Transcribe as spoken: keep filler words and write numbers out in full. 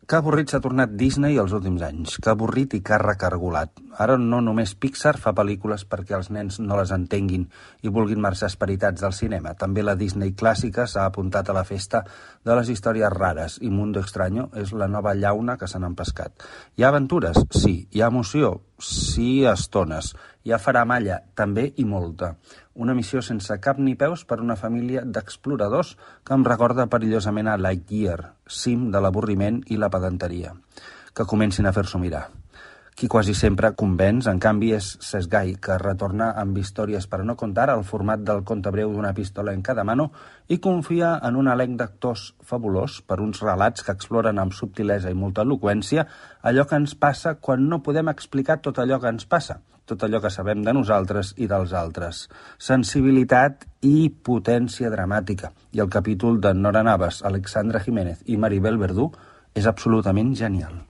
Que avorrit s'ha tornat Disney els últims anys. Que avorrit i que recargolat. Ara no només Pixar fa pel·lícules perquè els nens no les entenguin i vulguin marxar esperitats del cinema. També la Disney clàssica s'ha apuntat a la festa de les històries rares i Mundo Extraño és la nova llauna que se n'han pescat. Hi ha aventures? Sí. Hi ha emoció? Sí, a estones. Hi ha faramalla? També i molta. Una missió sense cap ni peus per una família d'exploradors que em recorda perillosament a Lightyear, cim de l'avorriment i la pedanteria. Que comencin a fer-s'ho mirar. Qui quasi sempre convenç, en canvi, és Cesc Gai, que retorna amb històries per a no contar al format del conte breu d'una pistola en cada mano i confia en un elenc d'actors fabulós per uns relats que exploren amb subtilesa i molta eloqüència allò que ens passa quan no podem explicar tot allò que ens passa, tot allò que sabem de nosaltres i dels altres. Sensibilitat i potència dramàtica. I el capítol de Nora Navas, Alexandra Jiménez i Maribel Verdú és absolutament genial.